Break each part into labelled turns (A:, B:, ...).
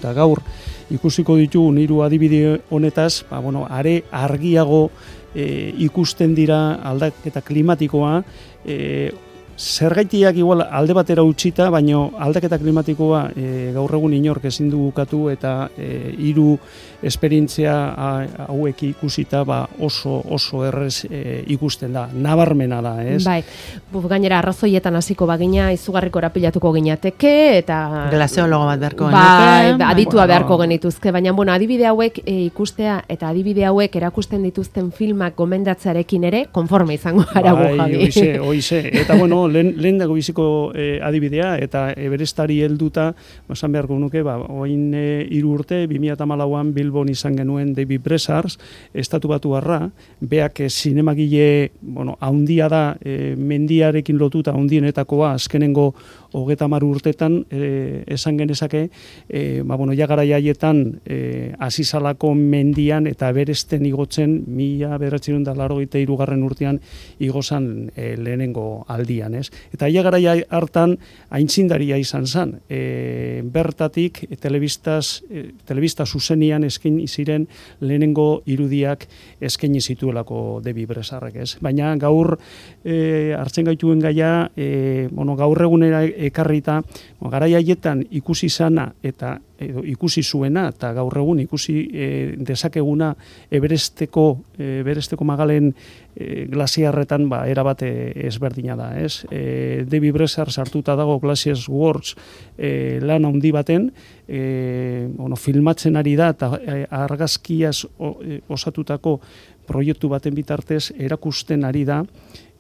A: Eta gaur ikusiko ditugu hiru adibide honetaz, are argiago ikusten dira aldaketa klimatikoa, zergaitiak igual alde batera utzita, baino aldaketa klimatikoa gaur egun inork ezin du ukatu eta hiru esperientzia hauek ikusita oso errez ikusten da, nabarmena da, ez?
B: Bai, gainera arrazoietan hasiko bagina izugarriko erapilatuko ginateke eta
C: glazeologo bat beharko genuke.
B: Bai, aditua beharko genituzke, baina adibide hauek ikustea eta adibide hauek erakusten dituzten filmak gomendatzearekin ere konforme izango gara gu, Javi.
A: Oize, eta lehen dago biziko adibidea, eta Everestari helduta, esan beharko nuke, oin 3 urte, 2014an Bilbon izan genuen David Bresars, estatubatuarra, beak zinemagile, haundia da, mendiarekin lotuta haundienetakoa, azkenengo 30 urtetan, esan genezake, jagarai haietan, azizalako mendian eta Everesten igotzen, 1983 urtean igozan lehenengo aldian, ez? Eta garai hartan aintzindaria izan zen. Bertatik telebista zuzenian eskaini ziren lehenengo irudiak eskaini zituelako David Bresarrek, ez? Baina gaur hartzen gaituen gaia, gaur egunera ekarrita, garai haietan ikusi zana eta ikusi zuena eta gaur egun ikusi dezakeguna Everesteko magalen glaziarretan erabat ezberdina da, ez? David Bresar sartuta dago Glaciers Works lan handi baten, filmatzen ari da eta argazkiaz osatutako proiektu baten bitartez erakusten ari da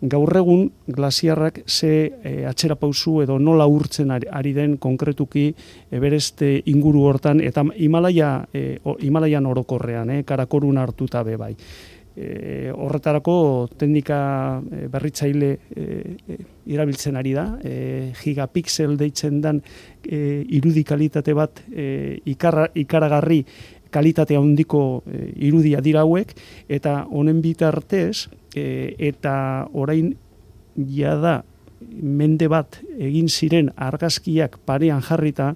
A: gaur egun glaziarrak ze atzerapauzu edo nola urtzen ari den konkretuki Everest inguru hortan eta Himalaian orokorrean, Karakorun hartuta be bai. Horretarako teknika berritzaile erabiltzen ari da, gigapixel deitzen den irudi kalitate bat ikaragarri kalitate handiko irudia dira hauek, eta honen bitartez, eta orain jada mende bat egin ziren argazkiak parean jarrita,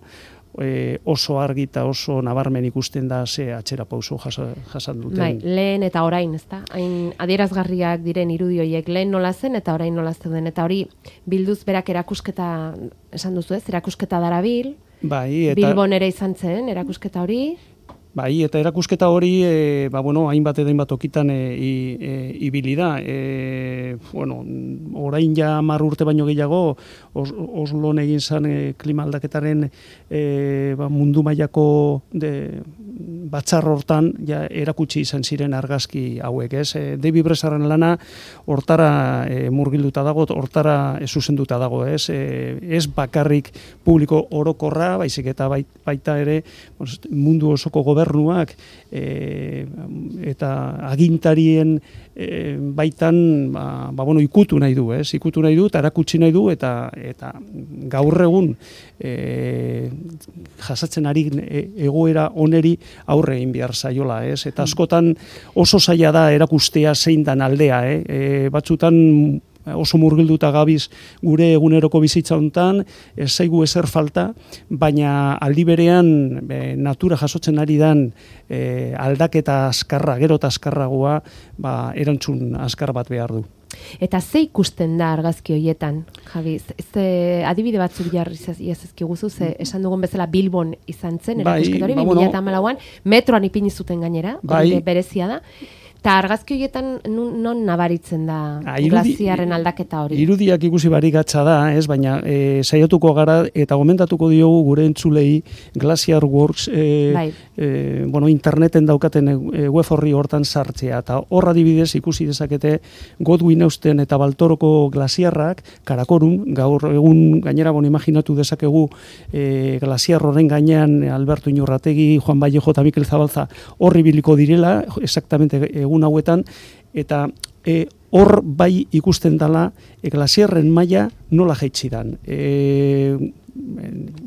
A: oso argi eta oso nabarmen ikusten da ze atzerapauso jasan duten.
B: Bai, lehen eta orain, ezta? Hain adierazgarriak diren irudi horiek lehen nola zen eta orain nola zeuden. Eta hori bilduz berak erakusketa, esan duzu ez, erakusketa darabil.
A: Bai, eta
B: Bilbon ere izan zen erakusketa hori.
A: Bai, eta erakusketa hori, hainbat okitan ibili da. Orain ja 10 urte baino gehiago, Oslon egin zen klima aldaketaren mundu mailako batzar hortan ja erakutsi izan ziren argazki hauek, ez? David Bresarren lana hortara murgilduta dago, hortara zuzenduta dago, ez? Ez bakarrik publiko orokorra, baizik eta baita ere mundu osoko gobernuak eta agintarien baitan ikutu nahi du, ez? Ikutu nahi du eta erakutsi nahi du eta gaur egun jasatzen ari egoera oneri aurre egin behar zaiola, ez? Eta askotan oso zaila da erakustea zein dan aldea, batzutan oso murgilduta gabiz gure eguneroko bizitza hontan, ez zaigu ezer falta, baina aldi berean natura jasotzen ari dan aldaketa azkarra, gero eta azkarragoa, erantzun azkar bat behar du.
B: Eta ze ikusten da argazki horietan, Javi? Adibide batzuk jarri ezkiguzu, esan dugun bezala Bilbon izan zen, erakusketa hori, 2014an, metroan ipini zuten gainera, berezia da. Eta argazki horietan non nabaritzen da glaziarren aldaketa hori?
A: Irudiak ikusi barigatza da, ez, baina saiatuko gara eta gomendatuko diogu gure entzulei Glacier Works interneten daukaten web horri hortan sartzea. Eta horra adibidez ikusi dezakete Godwin Austen eta Baltoroko glaziarrak, Karakorun, gaur egun gainera imaginatu dezakegu glaziar horren gainean Alberto Iñurrategi, Juan Vallejo eta Mikel Zabalza horri biliko direla, exactamente egun hauetan, eta hor bai ikusten dela glaziarren maila nola jaitsi dan.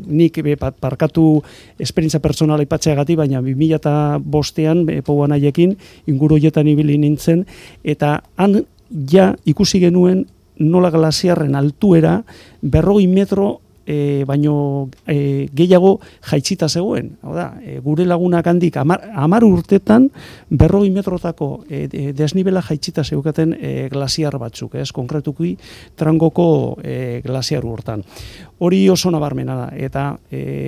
A: Nik parkatu esperientzia personala ipatzeagatik, baina 2005an Pouan haiekin inguru horietan ibili nintzen, eta han ja ikusi genuen nola glaziarren altuera 40 metro baino gehiago jaitsita zegoen. Hau da, gure lagunak handik 10 urtetan 40 metrotako desnibela jaitsita zeukaten glasiar batzuk, konkretuki Trangoko glasiar urtan. Hori oso nabarmena da, eta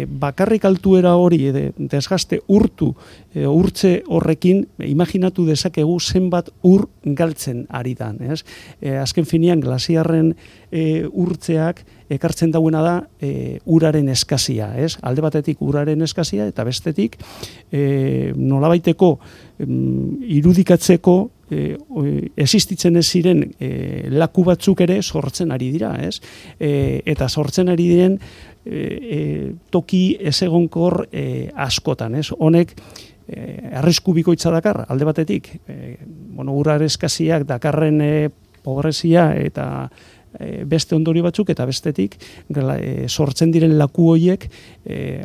A: bakarrik altuera hori desgaste urtze horrekin, imaginatu dezakegu zenbat ur galtzen ari dan. Azken finean glasiarren urtzeak ekartzen dauena da uraren eskazia. Alde batetik uraren eskazia eta bestetik nolabaiteko irudikatzeko existitzen ez ziren laku batzuk ere sortzen ari dira, eta sortzen ari diren toki ezegonkor askotan, honek arrisku bikoitza dakar, alde batetik uraren eskaziak dakarren pobrezia eta beste ondorio batzuk, eta bestetik sortzen diren laku horiek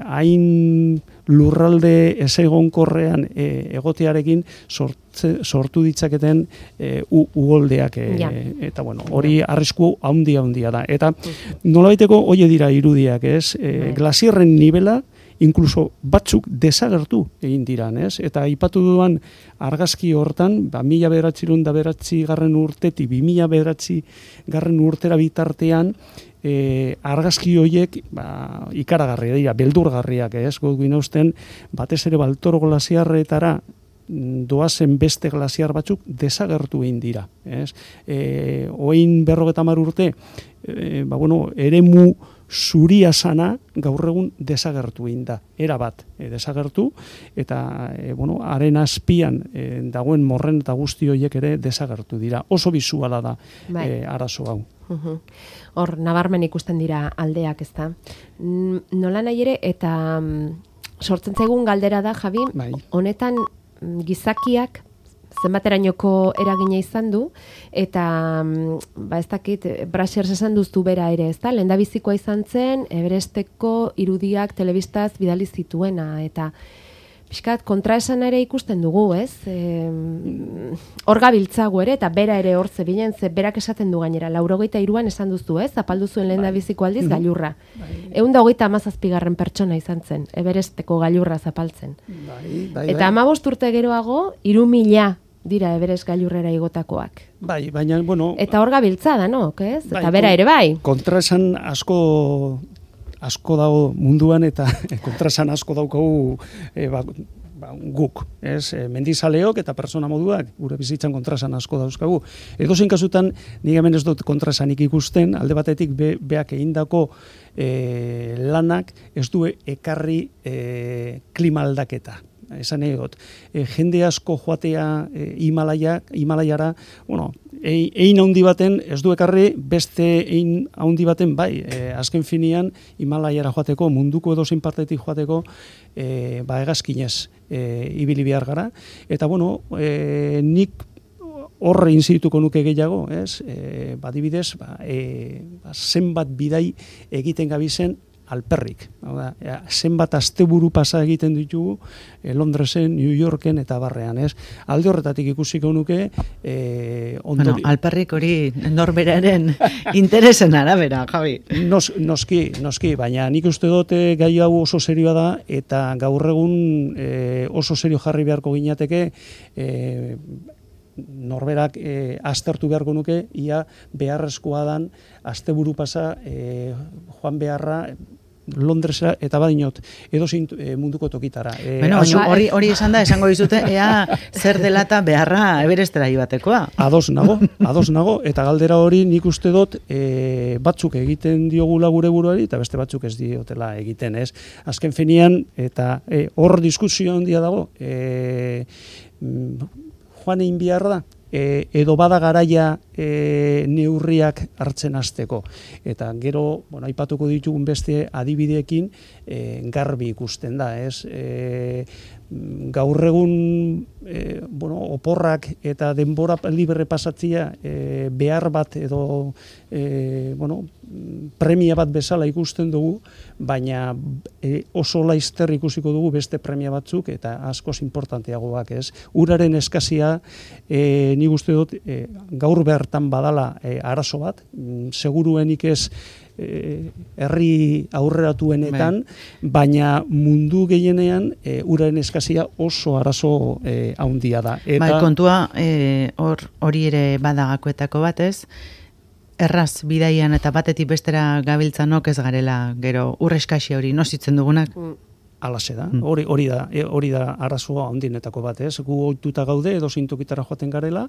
A: hain lurralde ezegonkorrean egotearekin sortu ditzaketen uholdeak, eta hori arrisku handia da. Eta nolabaiteko hori dira irudiak, glasiarren nivela inkluso batzuk desagertu egin diran, eta aipatu duan argazki hortan, 1909 urtetik 2009 urtera bitartean, argazki horiek ikaragarria dira, beldurgarriak, gogin hausten, batez ere Baltoro glasiarretara doazen beste glasiar batzuk desagertu egin dira. Oin 50 urte, eremu zuria sana gaur egun desagertu egin da, erabat desagertu, eta haren azpian dagoen morren eta guzti horiek ere desagertu dira. Oso bisuala da arazo hau.
B: Hor, nabarmen ikusten dira aldeak, ezta? Nola nahi ere, eta sortzen zaigun galdera da, Javi, honetan gizakiak zenbaterainoko eragina izan du, eta ez dakit, Brasers esan duztu bera ere, ezta? Lehendabizikoa izan zen, Everesteko irudiak telebistaz bidali zituena, eta pixkat kontraesan ere ikusten dugu, hor gabiltzagu ere, eta bera ere hor zebilen, berak esaten du gainera, 83an esan duzu, zapaldu zuen lehendabiziko aldiz gailurra. 137. pertsona izan zen, Everesteko gailurra zapaltzen. Eta 15 urte geroago, 3.000 dira Everest gailurrera igotakoak.
A: Baina,
B: eta hor gabiltza da, no? Eta bera ere bai.
A: Kontraesan asko dago munduan, eta kontraesan asko daukagu guk, mendizaleok eta persona moduak, gure bizitzan kontraesan asko dauzkagu. Edozein kasutan, nik hemen ez dut kontraesanik ikusten, alde batetik beak egindako lanak ez du ekarri klima aldaketa. Esan egot, jende asko joatea Himalaiara, ein handi baten ez du ekarri, beste ein handi baten bai, azken finean Himalaiara joateko, munduko edozein partetik joateko, hegazkinez ibili behar gara, eta nik horre inzituko nuke gehiago, badibidez, zenbat bidai egiten gabizen alperrik. Zenbat asteburu pasa egiten ditugu Londresen, New Yorken eta barrean, alde horretatik ikusiko nuke
C: alperrik hori norberaren interesen arabera, Javi.
A: Noski, baina nik uste dut gai hau oso serioa da, eta gaur egun oso serio jarri beharko ginateke norberak aztertu beharko nuke, ia beharrezkoa dan asteburu pasa joan beharra Londresa eta badinot edozein munduko tokitara.
C: Hori esan da, esango dizute, ea zer dela eta beharra Everestera joatekoa.
A: Ados nago, eta galdera hori nik uste dut batzuk egiten diogula gure buruari, eta beste batzuk ez diotela egiten, Azken finean, eta hor diskusio handia dago, joan egin behar da, edo bada garaia neurriak hartzen hasteko. Eta gero, aipatuko ditugun beste adibideekin garbi ikusten da, gaur egun oporrak eta denbora libre pasatzea behar bat edo premia bat bezala ikusten dugu, baina oso laizter ikusiko dugu beste premia batzuk eta askoz importanteagoak, Uraren eskazia nik uste dut gaur bertan badala arazo bat, seguruenik ez herri aurreratuenetan, baina mundu gehienean uraren eskazia oso arazo handia da.
C: Eta kontua hori ere badagakoetako batez, erraz bidaian eta batetik bestera gabiltzanok ez garela, gero ur eskasia hori nozitzen dugunak.
A: Alaxe da, hori da arazoa handinetako bat, ez? Gu ohituta gaude edo zintokitara joaten garela,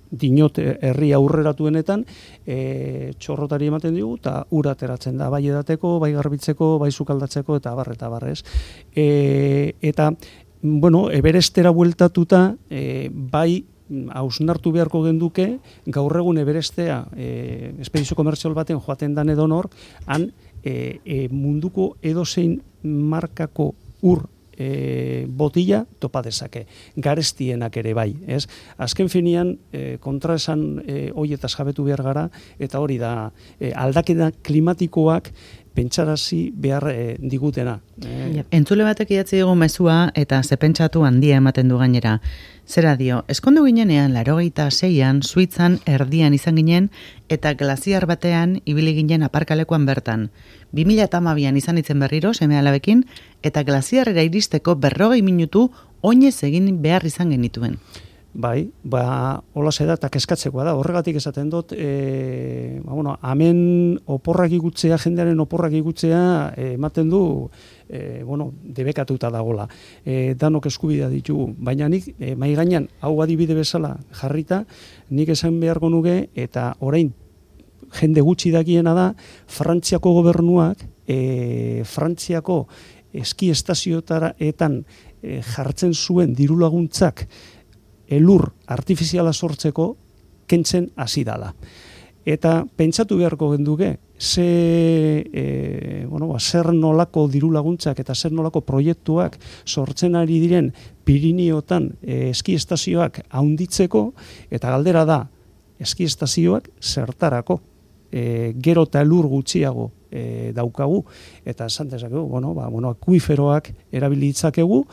A: dinot herri aurreratuenetan txorrotari ematen digu eta ura ateratzen da, bai edateko, bai garbitzeko, bai sukaldatzeko eta barrez. Eta, bueno, Everestera bueltatuta, bai hausnartu beharko genduke, gaur egun Everestea espedizio komertzial baten joaten dan edonor, han munduko edozein markako ur botila topa dezake, garestienak ere bai, ez? Azken finean kontraesan hoietaz jabetu behar gara, eta hori da aldaketa klimatikoak pentsarazi behar digutena.
C: Entzule batek idatzi dugu mezua eta zepentsatu handia ematen du gainera. Zera dio, eskondu ginenean 86an Suitzan erdian izan ginen eta glaziar batean ibili ginen aparkalekuan bertan. 2012an izan itzen berriro seme-alabekin eta glaziarrera iristeko 40 minutu oinez egin behar izan genituen.
A: Bai, hola da eta kezkatzekoa da. Horregatik esaten dut, hemen oporrak igutzea, jendearen oporrak igutzea ematen du, debekatuta dagola. Danok eskubidea ditugu. Baina nik, mai gainean, hau adibide bezala jarrita, nik esan beharko nuke, eta orain jende gutxi dakiena da, Frantziako gobernuak, Frantziako eski estazioetan jartzen zuen diru laguntzak elur artifiziala sortzeko kentzen hasi dala. Eta pentsatu beharko genduke, zer nolako diru laguntzak eta zer nolako proiektuak sortzen ari diren Piriniotan eski estazioak haunditzeko, eta galdera da, eski estazioak zertarako, gero eta elur gutxiago daukagu, eta esan dezakegu, akuiferoak erabilitzakegu,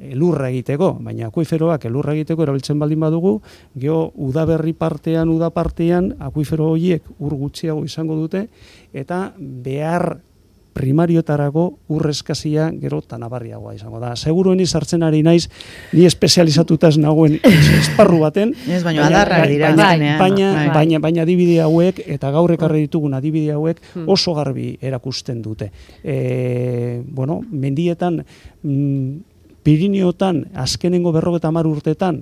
A: elurra egiteko, baina akuiferoak elurra egiteko erabiltzen baldin badugu, geho udaberri partean, uda partean, akuifero horiek ur gutxiago izango dute, eta behar primariotarako urrezkazia gero tanabarriagoa izango da. Segurueni sartzen ari naiz, ni espezializatuta ez nagoen esparru baten, baina adibide hauek, eta gaur ekarri ditugun adibide hauek oso garbi erakusten dute. Mendietan, Piriniotan azkenengo 50 urtetan,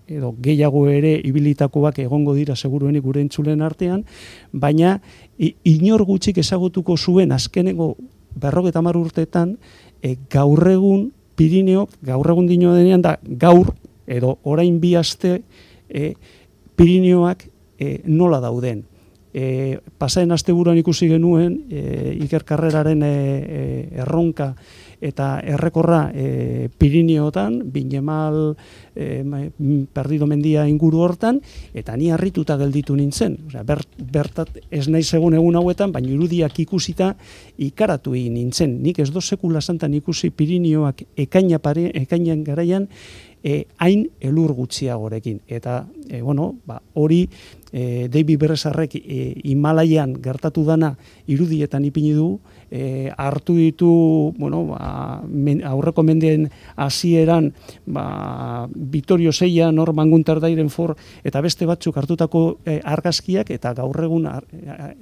A: edo gehiago ere ibilitakoak egongo dira seguruenik gure entzulen artean, baina inor gutxik ezagutuko zuen azkenengo 50 urtetan, gaur egun Pirineok, gaur egun dino denean da gaur, edo orain bi aste Pirineoak nola dauden. Pasaen asteburuan ikusi genuen Iker Karreraren erronka eta errekorra Pirineotan, Binemal, Perdido mendia inguru hortan, eta ni harrituta gelditu nintzen. Bertat ez naiz egun hauetan, baina irudiak ikusita ikaratu egin nintzen. Nik ez do sekula santan ikusi Pirineoak ekainan garaian, hain elur gutxiagorekin. Eta, hori David Berresarrek Himalaian gertatu dana irudietan ipini du, hartu ditu, aurreko mendeen hasieran, Vitorio Seian, Mangunter Dairenfor, eta beste batzuk hartutako argazkiak, eta gaur egun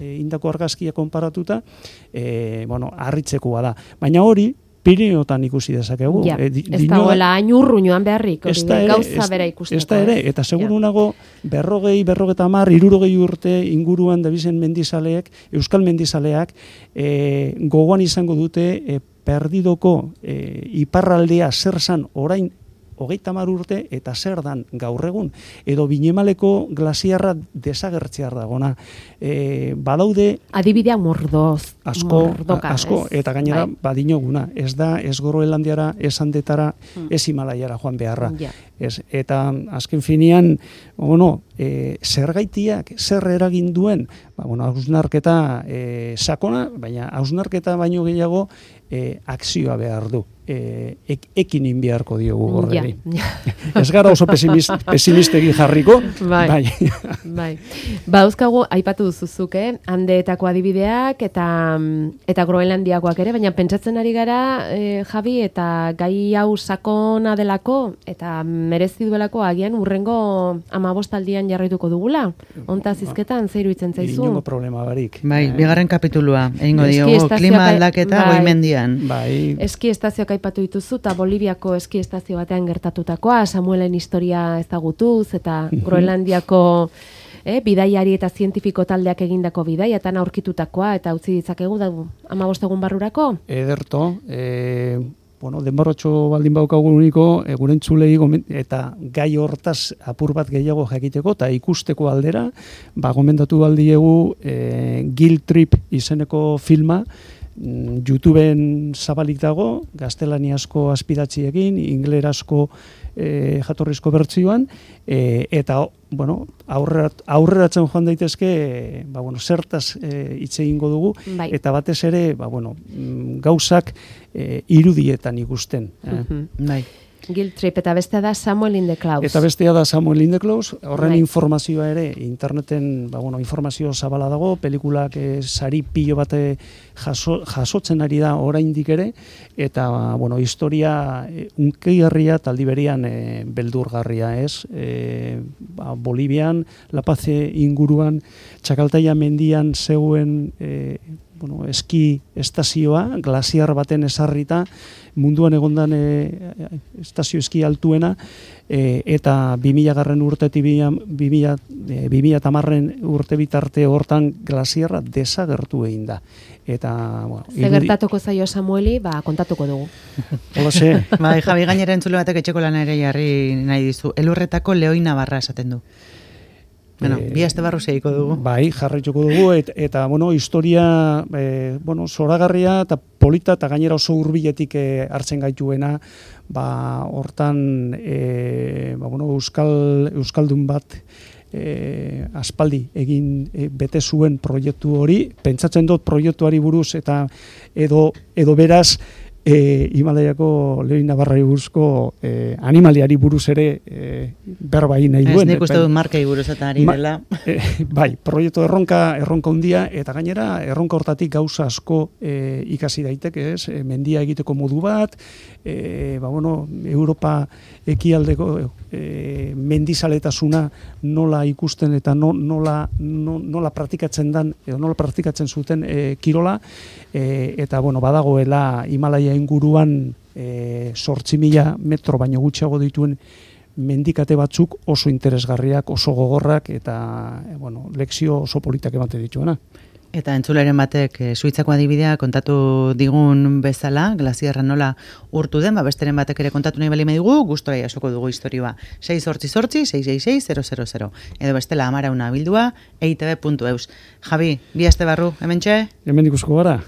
A: indako argazkiak konparatuta, harritzekoa da. Baina hori, Pirineotan ikusi dezakegu.
B: Ez dagoela hain urruñoan beharrik, gauza bera ikusteko.
A: Ez da ere, eta seguru nago 40, 50, 60 urte inguruan dabizen mendizaleek, euskal mendizaleak, gogoan izango dute Perdidoko iparraldea zer zan orain 30 urte eta zer dan gaur egun, edo Binemaleko glaziarra desagertzear dagona. Badaude
B: adibidea mordoz.
A: Asko, eta gainera badinoguna. Ez da, ez Groenlandiara, ez Andetara, ez Himalaiara joan beharra. Eta azken finean, zergaitiak, zer eragin duen, hausnarketa sakona, baina hausnarketa baino gehiago akzioa behar du. ekin inbiarko diogu horreri. Ez gara oso pesimistegi jarriko.
B: Bai. Dauzkagu, aipatu duzuzuk, Andeetako adibideak eta Groenlandiakoak ere, baina pentsatzen ari gara, Javi, eta gai hau sakona delako, eta merezi duelako agian urrengo 15 aldian jarraituko dugula. Honta zizketan, zeiru itzen zaizu?
A: Inongo problema barik.
C: Bai, bigarren kapitulua, egingo diogu, klima aldaketa goimendian.
B: Bai. Eski estazioak aipatu dituzu, eta Boliviako eski estazio batean gertatutakoa, Samuelen historia ezagutuz, eta Groenlandiako bidaiari eta zientifiko taldeak egindako bidaiatan aurkitutakoa, eta utzi ditzakegu da 15 egun barrurako?
A: Ederto, denborratxo baldin baukagu uniko, gure entzulei eta gai hortaz apur bat gehiago jakiteko, eta ikusteko aldera, gomendatu baldiegu Guilt Trip izeneko filma, YouTubeen zabalik dago, gaztelaniazko azpidatziekin, inglerazko jatorrizko bertsioan, eta aurreratzen joan daitezke, zertaz hitz egingo dugu, eta batez ere, gauzak irudietan ikusten.
B: Bai. Guilt Trip, eta bestea da Samuel in the Clouds.
A: Eta bestea da Samuel in the Clouds, horren informazioa ere, interneten informazio zabala dago, pelikulak sari pilo bate jasotzen ari da oraindik ere, eta historia unkeigarria taldi berian beldurgarria, ez? Bolivian, La Paz inguruan, Txakaltaia mendian zeuen eski estazioa, glasiar baten esarrita, munduan egondan estazio eski altuena, eta 2000 urtetik 2010 urte bitarte hortan glasiarra desagertu egin da. Eta,
B: gertatuko zaio Samueli, kontatuko dugu.
A: Hola, ze.
C: Javi, gainera entzule batek etxeko lana ere jarri nahi dizu. Elurretako Leoi Navarra esaten du. Bi aste barru segiko dugu.
A: Bai, jarraituko dugu, eta historia zoragarria eta polita, eta gainera oso hurbiletik hartzen gaituena, hortan euskaldun bat aspaldi egin bete zuen proiektu hori, pentsatzen dut proiektuari buruz, eta edo beraz, Himalaiako Leoi Navarrari buruzko animaliari buruz ere berba egin nahi duen.
C: Ez nik uste dut markei buruz eta ari dela.
A: Bai, proiektu erronka hundia, eta gainera erronka hortatik gauza asko ikasi daiteke, ez? Mendia egiteko modu bat, Europa ekialdeko mendizaletasuna nola ikusten eta nola praktikatzen dan, edo nola praktikatzen zuten kirola, eta badagoela Himalaia inguruan 8.000 metro baino gutxiago dituen mendikate batzuk oso interesgarriak, oso gogorrak, eta lekzio oso politak emate dituena.
C: Eta entzuleren batek Suitzako adibidea kontatu digun bezala, glasiarra nola urtu den, besteren batek ere kontatu nahi bali medigu, gustora jasoko dugu historioa. 688-666-000. Edo bestela amarauna bildua, eitb.eus. Javi, bi aste barru, hementxe?
A: Hemen ikusko gara.